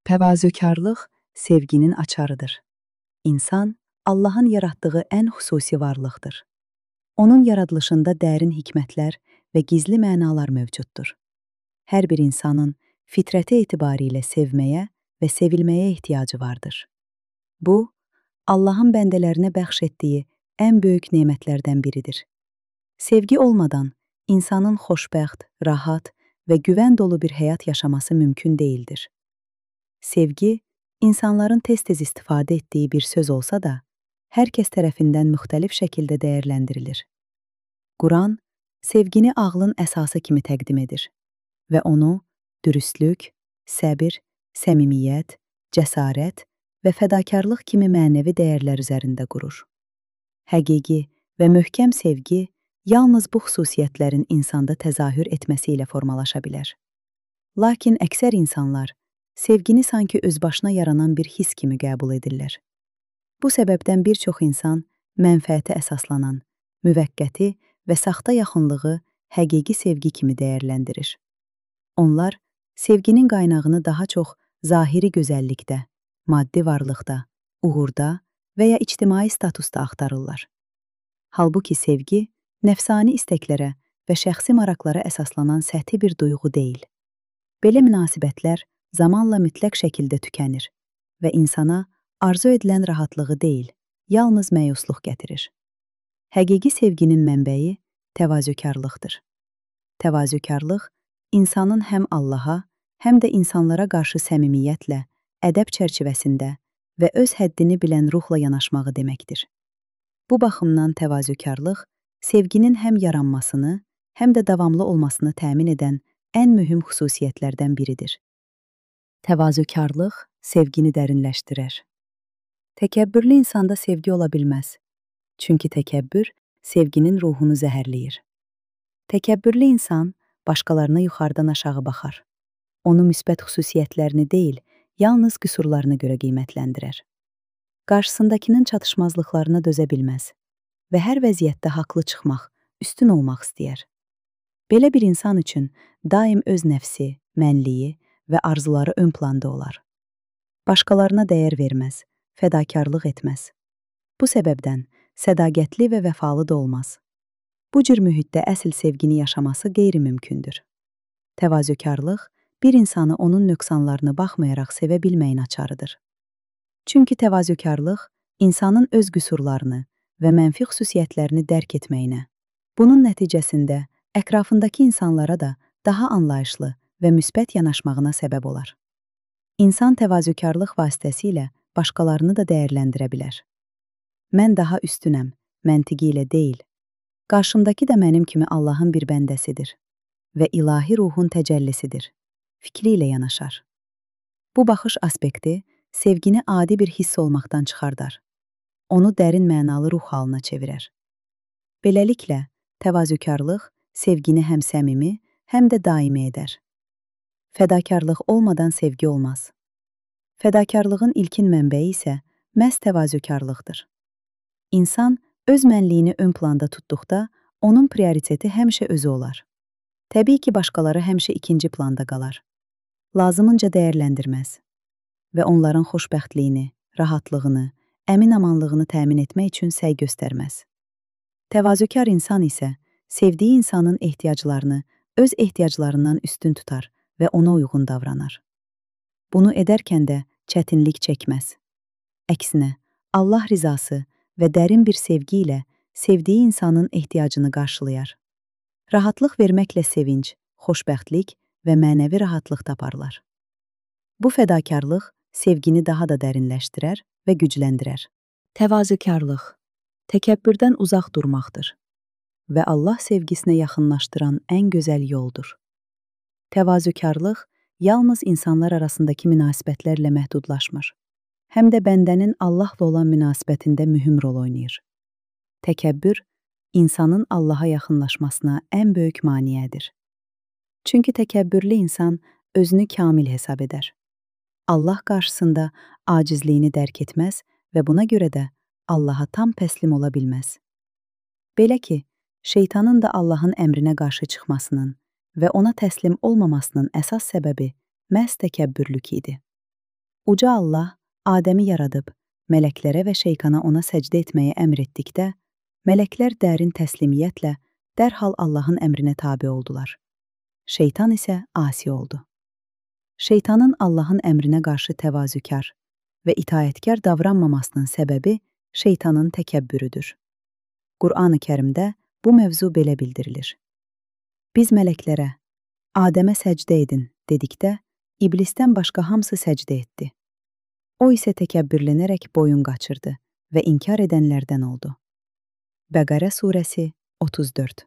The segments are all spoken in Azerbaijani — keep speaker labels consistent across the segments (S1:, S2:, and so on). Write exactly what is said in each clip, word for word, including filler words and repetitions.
S1: Təvazökarlıq sevginin açarıdır. İnsan, Allahın yaratdığı ən xüsusi varlıqdır. Onun yaradılışında dərin hikmətlər və gizli mənalar mövcuddur. Hər bir insanın fitrəti etibarilə sevməyə və sevilməyə ehtiyacı vardır. Bu, Allahın bəndələrinə bəxş etdiyi ən böyük nemətlərdən biridir. Sevgi olmadan insanın xoşbəxt, rahat və güvən dolu bir həyat yaşaması mümkün deyildir. Sevgi, insanların tez-tez istifadə etdiyi bir söz olsa da, hər kəs tərəfindən müxtəlif şəkildə dəyərləndirilir. Quran, sevgini ağlın əsası kimi təqdim edir və onu dürüstlük, səbir, səmimiyyət, cəsarət və fədakarlıq kimi mənəvi dəyərlər üzərində qurur. Həqiqi və möhkəm sevgi yalnız bu xüsusiyyətlərin insanda təzahür etməsi ilə formalaşa bilər. Lakin əksər insanlar sevgini sanki özbaşına yaranan bir his kimi qəbul edirlər. Bu səbəbdən bir çox insan mənfəətə əsaslanan, müvəqqəti və saxta yaxınlığı həqiqi sevgi kimi dəyərləndirir. Onlar sevginin qaynağını daha çox zahiri gözəllikdə, maddi varlıqda, uğurda və ya ictimai statusda axtarırlar. Halbuki sevgi, nəfsani istəklərə və şəxsi maraqlara əsaslanan səthi bir duyğu deyil. Belə münasibətlər zamanla mütləq şəkildə tükənir və insana arzu edilən rahatlığı deyil, yalnız məyusluq gətirir. Həqiqi sevginin mənbəyi təvazökarlıqdır. Təvazökarlıq, insanın həm Allaha, həm də insanlara qarşı səmimiyyətlə, ədəb çərçivəsində və öz həddini bilən ruhla yanaşmağı deməkdir. Bu baxımdan təvazökarlıq, sevginin həm yaranmasını, həm də davamlı olmasını təmin edən ən mühüm xüsusiyyətlərdən biridir. Təvazökarlıq sevgini dərinləşdirər. Təkəbbürlü insanda sevgi ola bilməz. Çünki təkəbbür sevginin ruhunu zəhərləyir. Təkəbbürlü insan başqalarına yuxarıdan aşağı baxar. Onu müsbət xüsusiyyətlərini deyil, yalnız qüsurlarına görə qiymətləndirər. Qarşısındakının çatışmazlıqlarına dözə bilməz və hər vəziyyətdə haqlı çıxmaq, üstün olmaq istəyər. Belə bir insan üçün daim öz nəfsi, mənliyi və arzuları ön planda olar. Başqalarına dəyər verməz, fədakarlıq etməz. Bu səbəbdən sədaqətli və vəfalı da olmaz. Bu cür mühitdə əsl sevgini yaşaması qeyri-mümkündür. Təvazökarlıq bir insanı onun nöqsanlarına baxmayaraq sevə bilməyin açarıdır. Çünki təvazökarlıq insanın öz qüsurlarını və mənfi xüsusiyyətlərini dərk etməyinə, bunun nəticəsində ətrafındakı insanlara da daha anlayışlı və müsbət yanaşmağına səbəb olar. İnsan təvazökarlıq vasitəsilə başqalarını da dəyərləndirə bilər. Mən daha üstünəm, məntiqi ilə deyil, qarşımdakı da mənim kimi Allahın bir bəndəsidir və ilahi ruhun təcəllisidir, fikri ilə yanaşar. Bu baxış aspekti sevgini adi bir hiss olmaqdan çıxardar, onu dərin mənalı ruh halına çevirər. Beləliklə, təvazökarlıq sevgini həm səmimi, həm də daimi edər. Fədakarlıq olmadan sevgi olmaz. Fədakarlığın ilkin mənbəyi isə məhz təvazökarlıqdır. İnsan öz mənliyini ön planda tutduqda, onun prioriteti həmişə özü olar. Təbii ki, başqaları həmişə ikinci planda qalar. Lazımınca dəyərləndirməz və onların xoşbəxtliyini, rahatlığını, əmin-amanlığını təmin etmək üçün səy göstərməz. Təvazökar insan isə sevdiyi insanın ehtiyaclarını öz ehtiyaclarından üstün tutar və ona uyğun davranar. Bunu edərkən də çətinlik çəkməz. Əksinə, Allah rizası və dərin bir sevgi ilə sevdiyi insanın ehtiyacını qarşılayar. Rahatlıq verməklə sevinc, xoşbəxtlik və mənəvi rahatlıq taparlar. Bu fədakarlıq sevgini daha da dərinləşdirər və gücləndirər. Təvazökarlıq, təkəbbürdən uzaq durmaqdır və Allah sevgisinə yaxınlaşdıran ən gözəl yoldur. Təvazökarlıq yalnız insanlar arasındakı münasibətlərlə məhdudlaşmır, həm də bəndənin Allahla olan münasibətində mühüm rol oynayır. Təkəbbür, insanın Allaha yaxınlaşmasına ən böyük maneədir. Çünki təkəbbürlü insan özünü kamil hesab edər. Allah qarşısında acizliyini dərk etməz və buna görə də Allaha tam təslim ola bilməz. Belə ki, şeytanın da Allahın əmrinə qarşı çıxmasının və ona təslim olmamasının əsas səbəbi məhz təkəbbürlük idi. Uca Allah Adəmi yaradıb, mələklərə və şeytana ona səcdə etməyə əmr etdikdə, mələklər dərin təslimiyyətlə dərhal Allahın əmrinə tabe oldular. Şeytan isə asi oldu. Şeytanın Allahın əmrinə qarşı təvazükar və itayətkar davranmamasının səbəbi şeytanın təkəbbürüdür. Qur'an-ı Kərimdə bu mövzu belə bildirilir. Biz mələklərə, Adəmə səcdə edin dedikdə, iblisdən başqa hamısı səcdə etdi. O isə təkəbbürlənərək boyun qaçırdı və inkar edənlərdən oldu. Bəqərə surəsi otuz dörd.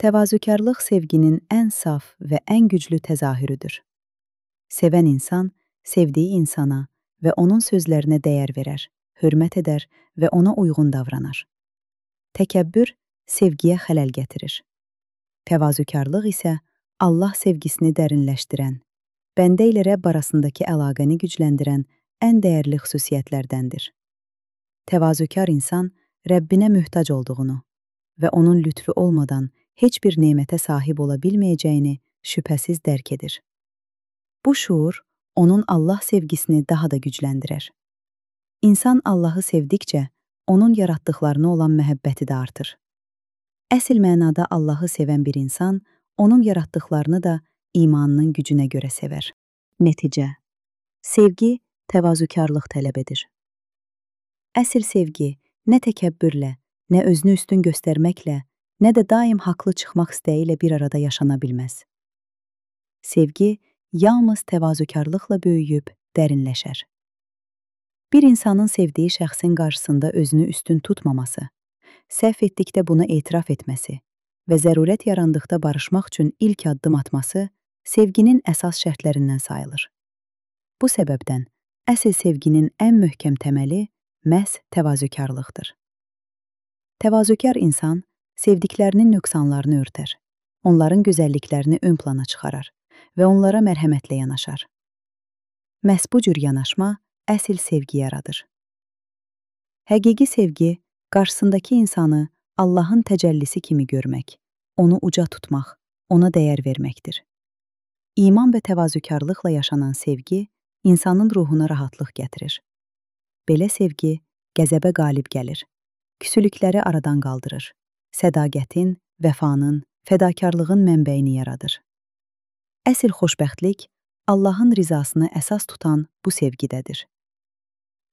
S1: Təvazükarlıq sevginin ən saf və ən güclü təzahürüdür. Sevən insan, sevdiyi insana və onun sözlərinə dəyər verər, hörmət edər və ona uyğun davranar. Təkəbbür sevgiyə xələl gətirir. Təvazükarlıq isə Allah sevgisini dərinləşdirən, bəndə ilə Rəbb arasındakı əlaqəni gücləndirən ən dəyərli xüsusiyyətlərdəndir. Təvazükar insan Rəbbinə möhtac olduğunu və onun lütfu olmadan heç bir nemətə sahib ola bilməyəcəyini şübhəsiz dərk edir. Bu şuur onun Allah sevgisini daha da gücləndirər. İnsan Allahı sevdikcə, onun yaratdıqlarına olan məhəbbəti də artır. Əsl mənada Allahı sevən bir insan, onun yaratdıqlarını da imanının gücünə görə sevər. Nəticə: sevgi təvazükarlıq tələb edir. Əsl sevgi nə təkəbbürlə, nə özünü üstün göstərməklə, nə də daim haqlı çıxmaq istəyi ilə bir arada yaşana bilməz. Sevgi yalnız təvazükarlıqla böyüyüb dərinləşər. Bir insanın sevdiyi şəxsin qarşısında özünü üstün tutmaması, səhv etdikdə buna etiraf etməsi və zərurət yarandıqda barışmaq üçün ilk addım atması sevginin əsas şərtlərindən sayılır. Bu səbəbdən əsl sevginin ən möhkəm təməli məhz təvazükarlıqdır. Təvazükar insan sevdiklərinin nöqsanlarını örtər, onların gözəlliklərini ön plana çıxarar və onlara mərhəmətlə yanaşar. Məhz bu cür yanaşma əsl sevgi yaradır. Həqiqi sevgi, qarşısındakı insanı Allahın təcəllisi kimi görmək, onu uca tutmaq, ona dəyər verməkdir. İman və təvazükarlıqla yaşanan sevgi, insanın ruhuna rahatlıq gətirir. Belə sevgi, qəzəbə qalib gəlir, küsülükləri aradan qaldırır, sədaqətin, vəfanın, fədakarlığın mənbəyini yaradır. Əsl xoşbəxtlik, Allahın rizasını əsas tutan bu sevgidədir.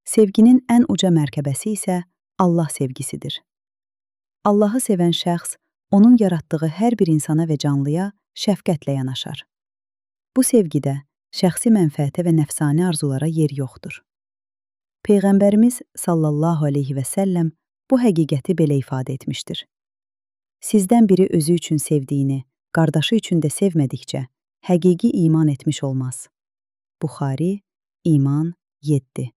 S1: Sevginin ən uca mərtəbəsi isə Allah sevgisidir. Allahı sevən şəxs, onun yaratdığı hər bir insana və canlıya şəfqətlə yanaşar. Bu sevgidə şəxsi mənfəətə və nəfsani arzulara yer yoxdur. Peyğəmbərimiz sallallahu aleyhi və səlləm bu həqiqəti belə ifadə etmişdir. Sizdən biri özü üçün sevdiyini, qardaşı üçün də sevmədikcə, həqiqi iman etmiş olmaz. Buxari, İman yeddi.